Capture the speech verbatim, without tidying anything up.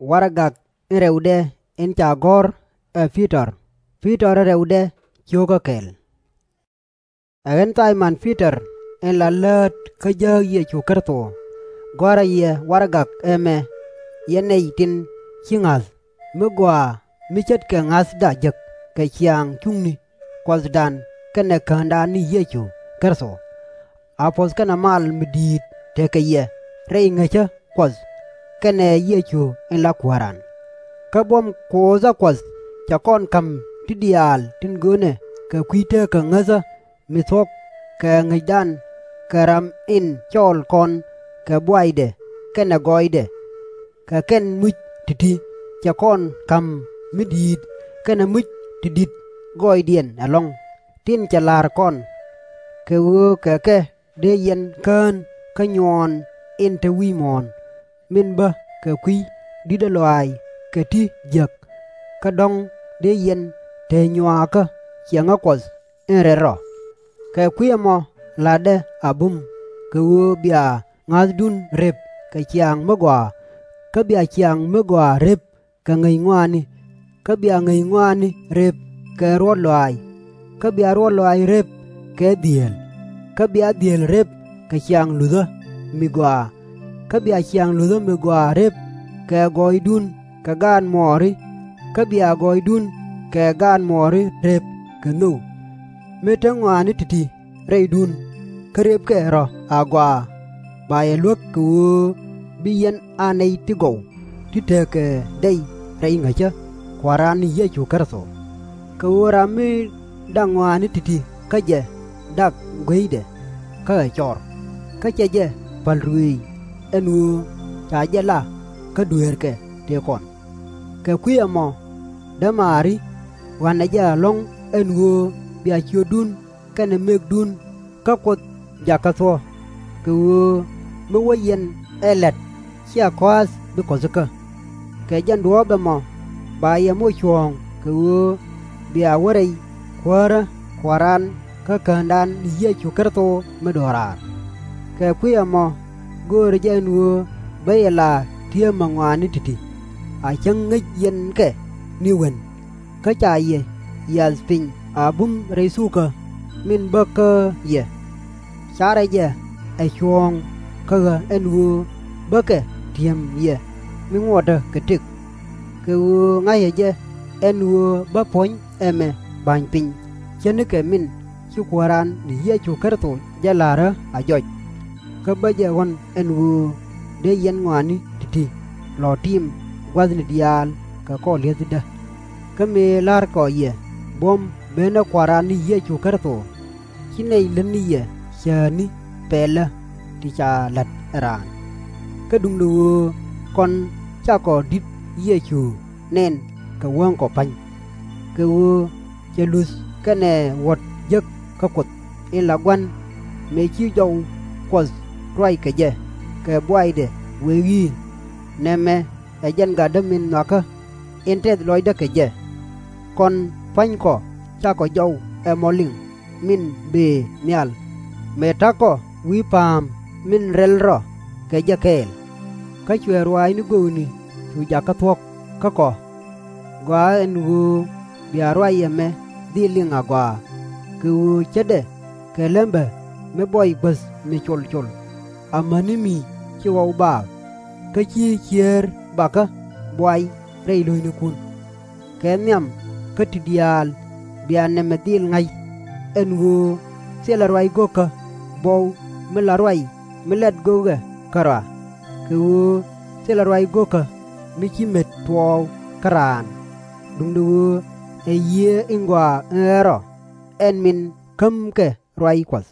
Warɛgak in rɛwdɛ in ca gɔ̱r ɛ Pi-tɔr, Pi-tɔr in rɛwdɛ cio̱kä kɛl. Ɛ ɣän Thay-mɔn Pi-tɔr in la läät kä jääk Yecu Kritho, gɔ̱a̱rä yɛ warɛgak ɛmɛ, yɛn nɛy tin ci ŋa̱th, mi gɔaa mi ce̱tkɛ ŋa̱thda jek kɛ ciaaŋ cuŋni Kuɔthdan kɛnɛ Käändan ni Yecu Kritho. A puɔ̱th kɛnɛ mal mi di̱i̱t tekɛ yɛ rɛy ŋäcä Kuɔth kɛnɛ Yecu in la Kuääran. Kä buɔ̱m kuɔthä Kuɔth cɛ kɔn ka̱m ti diaal tin görnɛ kɛ kui̱ teekä ŋäthä mi thuɔ̱k kɛ ŋäcdan kɛ ram in cɔɔl kɔn kɛ buaydɛ kɛnɛ gɔɔydɛ. Kɛ kɛn muc ti̱ti̱ cɛ kɔn ka̱m mi di̱i̱t kɛnɛ muc ti di̱t gɔɔydiɛn ɛlɔ̱ŋ, tin cɛ la̱r kɔn. Kɛ ɣöö kɛ kɛ dee yɛn kään kä nyuɔɔn in te wi̱i̱ muɔ̱ɔ̱n, min bä kɛ kui̱ di̱tdä lɔaac kɛ ti jiäk, kä dɔ̱ŋ dee yɛn te nyuaakä ciɛŋä Kuɔth in rɛl rɔ. Kɛ kui̱ ɛmɔ la̱tdɛ a bum, kɛ ɣöö bia ŋa̱thdun rep kɛ ciaŋ mi gɔaa, kä bia ciaŋ mi gɔaa rep kɛ ŋäc ŋɔaani, kä bia ŋäc ŋɔaani rep kɛ ruɔ̱t lɔaac, kä bia ruɔ̱t lɔaac rep kɛ dhieel, kä bia dhieel rep kɛ ciaŋ luthä mi gɔaa, kä bia ciaŋ luthä mi gɔaa rep kɛ gɔɔydun kɛ gaat muɔɔri, kä bia gɔɔydun kɛ gaat muɔɔri rep kɛ nhök. Mi te ŋɔaani ti̱ti̱ rɛydun, kä repkɛ rɔ agɔaa, ba yɛ luäk kɛ ɣöö bi yɛn a nɛy ti gɔw ti tekɛ dɛy rɛy ŋäcä Kua̱ran ni Yecu Kritho. Kɛ ɣöö ram mi dak ŋɔaani ti̱ti̱ kä jɛ dak gueydɛ kä ɛ cɔr, kä cɛ jɛ pa̱l ruëëc ɛn ɣöö ca jɛ la kä dueerkɛ tëë kɔn. Kɛ kui̱ ɛmɔ dämaari, ɣɔ̱a̱nɛ jɛ ɛlɔ̱ŋ ɛn ɣöö bia ciötdun kɛnɛ mëkdun kä Kuoth jakä thuɔ̱k, kɛ ɣöö mi wä yɛn ɛ la̱t /cia kɔ̱a̱th bi kɔ̱thikä. Kɛ jɛn duɔ̱ɔ̱p ɛmɔ ba yɛ moc cuɔ̱ɔ̱ŋ kɛ ɣöö bia wä rɛy Kuäärä Kua̱ran kä Käändan ni Yecu Kritho mi do̱raar. Kɛ kui̱ ɛmɔ göörä jɛ ɛn ɣöö bä yɛ la ti̱emä ŋɔaani ti̱ti̱, a cäŋ ŋäc yɛn kɛ ni wen, kä ca yɛ yiath piny a bum rɛy thukä min bä kä yɛ. Carɛ jɛ ɛ cuɔ̱ɔ̱ŋ kä ɣä ɛn ɣöö bä kɛ ti̱em yɛ mi ŋuɔtdä kɛ tëk. Kɛ ɣöö ŋa̱cä jɛ ɛn ɣöö bä puɔ̱ny ɛmɛ ba̱ny piny ce̱tnikɛ min ci Kuääran ni Yecu Kritho jɛ la̱rä a jɔc. Kä bä jɛ ɣɔ̱n ɛn ɣöö dee yɛn ŋɔaani ti̱ti̱ lɔ tiim gua̱thni diaal kɛ kɔr li̱ethdä. Kä mëë la̱rkɔ yɛ buɔ̱m benä Kua̱ran ni Yecu Kritho, /ci nɛy lät ni yɛ cäätni pɛlä ti ca la̱t ɛ raan. Kä duundɛ ɣöö kɔn cakɔ di̱t Yecu nɛn kɛ wäŋkɔ pa̱ny. Kɛ ɣöö cɛ luth kɛnɛ wuɔ̱t jek kä Kuoth in la Gua̱n, mëë ci jɔw Kuɔth ruac kɛ jɛ kɛ buaydɛ wëë i̱, Nɛmɛ ɛ jɛn Gatdä min nhɔakä, in tɛth lɔcdä kɛ jɛ. Kɔn pua̱nykɔ cakɔ jɔw ɛmɔ liŋ min bëë nhial, mëë ta̱kɔ wi̱i̱ pa̱a̱m min rɛl rɔ kɛ jɛ kɛɛl. Kä cuɛ ruaacni göökni cu jakä thuɔ̱k kä kɔ. Gɔaa ɛn ɣöö bia ruac ɛmɛ dhil liŋ agɔaa, kɛ ɣöö ce̱tdɛ kɛ läämbä mi buɔy guäth mi col col, amäni mi ci ɣɔw baak, kä /ci ciëër bakä buay rɛy lo̱cnikun. Kɛ nhiam kä ti diaal bia nɛmɛ dhil ŋa̱c, ɛn ɣöö thilɛ ruac go̱o̱kä buɔw mi la ruac mi lat go̱o̱kɛ kärɔa, kɛ ɣöö thilɛ ruac go̱o̱kä mi ci met tuɔɔk kä raan, duundɛ ɣöö ɛ Yiëë in Gɔaa in Rɛl Rɔ, ɛn min kämkɛ ruac Kuɔth.